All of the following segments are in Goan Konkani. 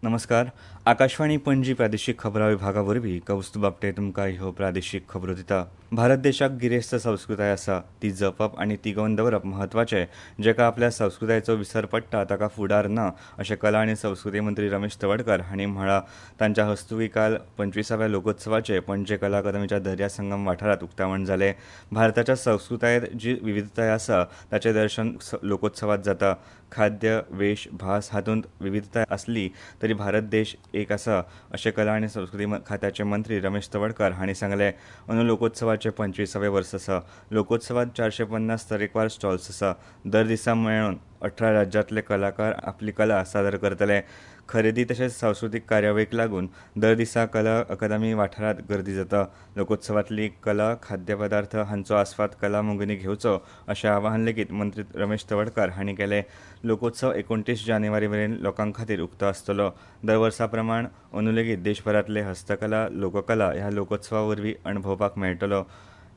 नमस्कार. आकाशवाणी पणजी प्रादेशीक खबरां विभागा वरवीं कौस्तुभ आपटे तुमकां ह्यो प्रादेशीक खबरो दिता. भारत देशाक गिरेस्त संस्कृताय आसा, ती जपप आनी तिगोवन दवरप म्हत्वाचें. जेका आपल्या संस्कृतायेचो विसर पडटा ताका फुडार ना अशें कला आनी संस्कृती मंत्री रमेश तवडकर हांणी म्हळां. तांच्या हस्तुकीं काल 25व्या लोकोत्सवाचें पणजे कला अकादमीच्या दर्या संगम वाठारांत उक्तावण जालें. भारताच्या संस्कृतायेंत जी विविधताय आसा ताचें दर्शन लोकोत्सवांत जाता. खाद्य, वेश, भास हातूंत विविधताय आसली तरी भारत देश एक आसा अशें कला आनी संस्कृती खात्याचे मंत्री रमेश तवडकर हांणी सांगलें. अंदू लोकोत्सवाचें 25वें वर्स आसा. लोकोत्सवांत 450 तरेकवार स्टॉल्स आसा. दर दिसा मेळून 18 राज्यांतले कलाकार आपली कला सादर करतले. खरेदी तशेंच सांस्कृतीक कार्यावळीक लागून दर दिसा कला अकादमी वाठारांत गर्दी जाता. लोकोत्सवांतली कला, खाद्यपदार्थ हांचो आस्वाद कला मोगींनी घेवचो अशें आवाहन लेगीत मंत्री रमेश तवडकर हांणी केलें. लोकोत्सव 29 जानेवारी मेरेन लोकां खातीर उक्तो आसतलो. दर वर्सा प्रमाण अंदू लेगीत देशभरांतले हस्तकला, लोककला ह्या लोकोत्सवा वरवीं अणभवपाक मेळटलो.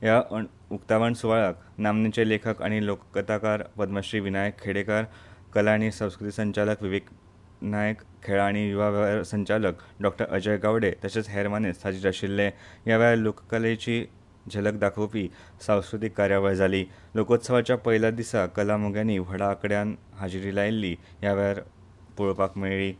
ह्या उक्तावण सुवाळ्याक नामनेचे लेखक आनी लोककथाकार पद्मश्री विनायक खेडेकर, कला आनी संस्कृती संचालक विवेक नायक, खेळां आनी युवा वेव्हार संचालक डॉ. अजय गावडे तशेंच हेर मानेस्त हाजीर आशिल्ले. ह्या वेळार लोककलेची झलक दाखोवपी सांस्कृतीक कार्यावळ जाली. लोकोत्सवाच्या पयल्या दिसा कला मोग्यांनी व्हडा आंकड्यान हाजेरी लायिल्ली ह्या वेळार पळोवपाक मेळ्ळी.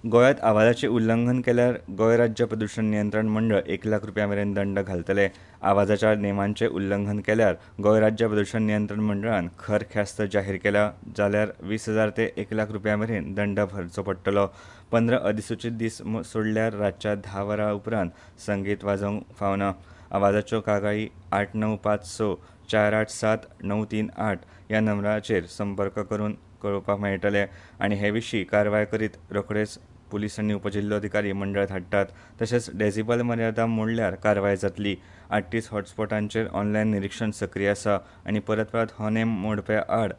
गोंयांत आवाजाचें उल्लंघन केल्यार गोंय राज्य प्रदूशण नियंत्रण मंडळ 1 लाख रुपया मेरेन दंड घालतले. आवाजाच्या नेमांचें उल्लंघन केल्यार गोंय राज्य प्रदूशण नियंत्रण मंडळान खर ख्यास्त जाहीर केल्या, जाल्यार 20,000 ते 1 लाख रुपया मेरेन दंड भरचो पडटलो. 15 अधिसूचीत दीस सोडल्यार रातच्या 10 वरां उपरांत संगीत वाजोवंक फावना. आवाजाच्यो कागाळी 8956 487 938 ह्या नंबराचेर संपर्क करून कळोवपाक मेळटले आनी हे विशीं कारवाय करीत रोखडेच पुलीस आनी उपजिल्लोधिकारी मंडळ धाडटात. तशेंच डेसिबल मर्यादा मोडल्यार कारवाय जातली. 38 हॉटस्पॉटांचेर ऑनलायन निरिक्षण सक्रीय आसा आनी परत परत हो नेम मोडप्या आड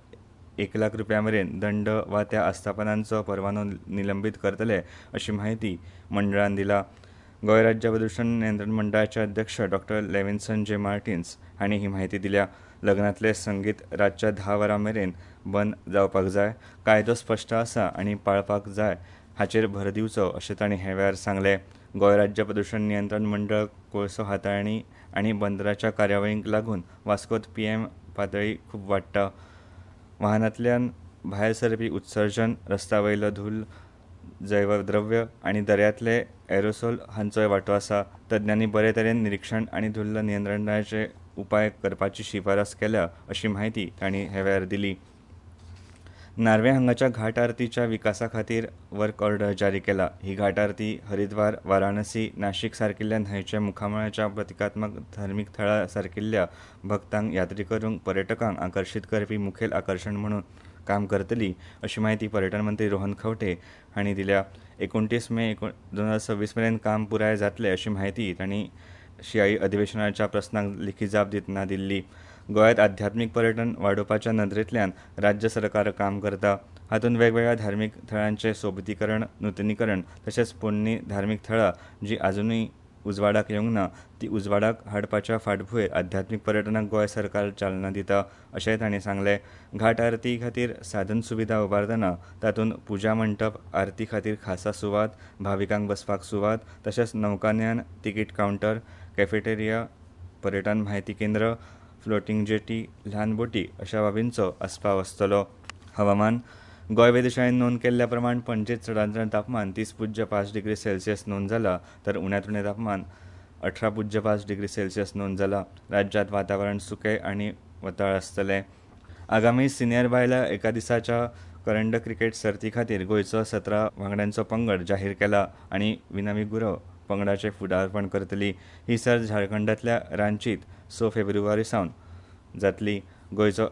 1 लाख रुपया मेरेन दंड वा त्या आस्थापनांचो परवानो निलंबीत करतले अशी म्हायती मंडळान दिला. गोंय राज्य प्रदूशण नियंत्रण मंडळाचे अध्यक्ष डॉ. लेविन्सन जे मार्टिन्स हांणी ही म्हायती दिल्या. लग्नांतलें संगीत रातच्या 10 वरां मेरेन बंद जावपाक जाय. कायदो स्पश्ट आसा आनी पाळपाक जाय हाचेर भर दिवचो अशें तांणी हे वेळार सांगलें. गोंय राज्य प्रदूशण नियंत्रण मंडळ कोळसो हाताळणी आनी बंदराच्या कार्यावळींक लागून वास्कोत पीएम पातळी खूब वाडटा. वाहनांतल्यान भायर सरपी उत्सर्जन, रस्त्या वयलो धूल्ल, जैवद्रव्य आनी दर्यांतले एरोसोल हांचोय वांटो आसा. तज्ञांनी बरे तरेन निरिक्षण आनी धुल्ल नियंत्रणाचे उपाय करपाची शिफारस केल्या अशी म्हायती तांणी हे वेळार दिली. नार्वे हांगाच्या घाट आरतीच्या विकासा खातीर वर्क ऑर्डर जारी केला. ही घाट आरती हरिद्वार, वाराणसी, नाशिक सारकिल्ल्या न्हंयच्या मुखामळाच्या प्रतिकात्मक धार्मीक थळां सारकिल्ल्या भक्तांक, यात्री करूंक, पर्यटकांक आकर्शीत करपी मुखेल आकर्शण म्हणून काम करतली अशी म्हायती पर्यटन मंत्री रोहन खंवटे हांणी दिल्या. 29 मे 2026 मेरेन काम पुराय जातलें अशी म्हायती तांणी शिंयाळी अधिवेशनाच्या प्रस्नांक लेखी जाप दितना दिल्ली. गोंयांत आध्यात्मीक पर्यटन वाडोवपाच्या नदरेंतल्यान राज्य सरकार काम करता. हातूंत वेगवेगळ्या धार्मीक थळांचें सोबितीकरण, नुतनीकरण तशेंच पोरणी धार्मीक थळां जी आजुनूय उजवाडाक येवंक ना ती उजवाडाक हाडपाच्या फाटभूंयेर आध्यात्मीक पर्यटनाक गोंय सरकार चालना दिता अशेंय तांणी सांगलें. घाट आरती खातीर साधन सुविधा उबारतना तातूंत पुजा मंटप, आरती खातीर खासा सुवात, भाविकांक बसपाक सुवात तशेंच नौकानयन, तिकीट कावंटर, कॅफेटेरिया, पर्यटन म्हायती केंद्र, फ्लोटींग जेटी, ल्हान बोटी अशा बाबींचो आस्पाव आसतलो. हवामान. गोंय वेधशाळेन नोंद केल्ल्या प्रमाण पणजेंत चडांत चड तापमान 30.5 डिग्री सेल्सियस नोंद जाला, तर उण्यांत उणें तापमान 18.5 डिग्री सेल्सियस नोंद जाला. राज्यांत वातावरण सुकें आनी वताळ आसतलें. आगामी सिनियर बायलां एका दिसाच्या करंड क्रिकेट सर्ती खातीर गोंयचो 17 वांगड्यांचो पंगड जाहीर केला आनी विनावी गुरव पंगडाचें फुडारपण करतली. ही सर्त झारखंडांतल्या रांचीत 6 फेब्रुवारी सावन जातली. गोंयचो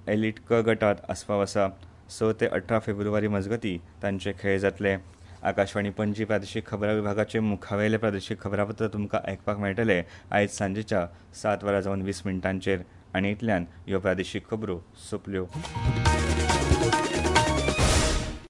एलिट क गटांत आस्पाव आसा. 6 ते 18 फेब्रुवारी मजगतीं तांचे खेळ जातले. आकाशवाणी पणजी प्रादेशीक खबरां विभागाचे मुखावेले प्रादेशीक खबरापत्र तुमकां आयकपाक मेळटलें आयज सांजेच्या 7 वरां जावन 20 मिनटांचेर. आनी इतल्यान ह्यो प्रादेशीक खबरो सोंपल्यो.